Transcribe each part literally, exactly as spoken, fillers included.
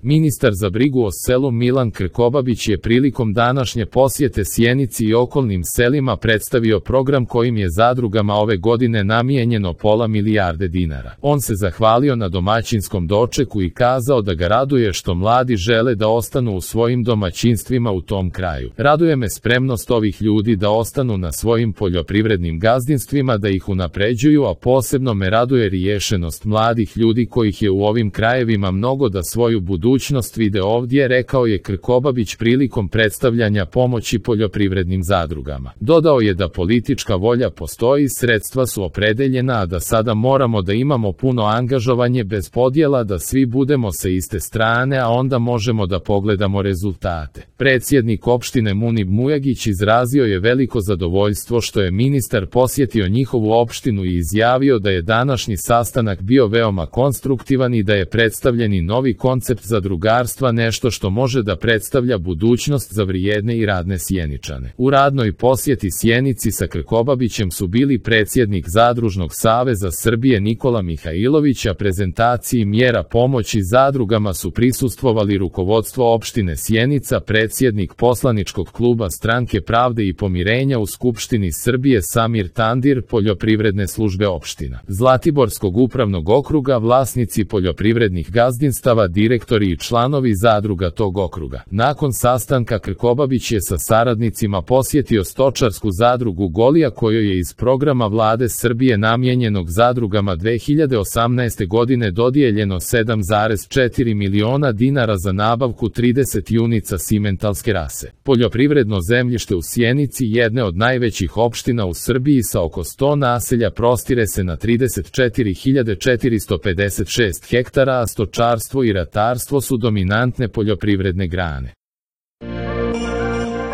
Ministar za brigu o selu Milan Krkobabić je prilikom današnje posjete Sjenici i okolnim selima predstavio program kojim je zadrugama ove godine namijenjeno pola milijarde dinara. On se zahvalio na domaćinskom dočeku i kazao da ga raduje što mladi žele da ostanu u svojim domaćinstvima u tom kraju. Raduje me spremnost ovih ljudi da ostanu na svojim poljoprivrednim gazdinstvima, da ih unapređuju, a posebno me raduje riješenost mladih ljudi kojih je u ovim krajevima mnogo da svoju budućnost budućnost vide ovdje, rekao je Krkobabić prilikom predstavljanja pomoći poljoprivrednim zadrugama. Dodao je da politička volja postoji, sredstva su opredeljena, a da sada moramo da imamo puno angažovanje bez podjela, da svi budemo sa iste strane, a onda možemo da pogledamo rezultate. Predsjednik opštine Munib Mujagić izrazio je veliko zadovoljstvo što je ministar posjetio njihovu opštinu i izjavio da je današnji sastanak bio veoma konstruktivan i da je predstavljeni novi koncept zadrugarstva nešto što može da predstavlja budućnost za vrijedne i radne Sjeničane. U radnoj posjeti Sjenici sa Krkobabićem su bili predsjednik Zadružnog saveza Srbije Nikola Mihajlović, a prezentaciji mjera pomoći zadrugama su prisustvovali rukovodstvo opštine Sjenica, predsjednik poslaničkog kluba Stranke pravde i pomirenja u Skupštini Srbije Samir Tandir, poljoprivredne službe opština Zlatiborskog upravnog okruga, vlasnici poljoprivrednih gazdinstava, direktori i članovi zadruga tog okruga. Nakon sastanka Krkobabić je sa saradnicima posjetio stočarsku zadrugu Golija, kojoj je iz programa vlade Srbije namijenjenog zadrugama dve hiljade osamnaeste. godine dodijeljeno sedam zarez četiri miliona dinara za nabavku trideset junica simentalske rase. Poljoprivredno zemljište u Sjenici, jedne od najvećih opština u Srbiji sa oko sto naselja, prostire se na trideset četiri hiljade četiristo pedeset šest hektara, a stočarstvo i ratarstvo su dominantne poljoprivredne grane.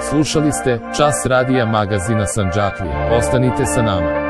Slušali ste Čas radija magazina Sandžaklija. Ostanite sa nama.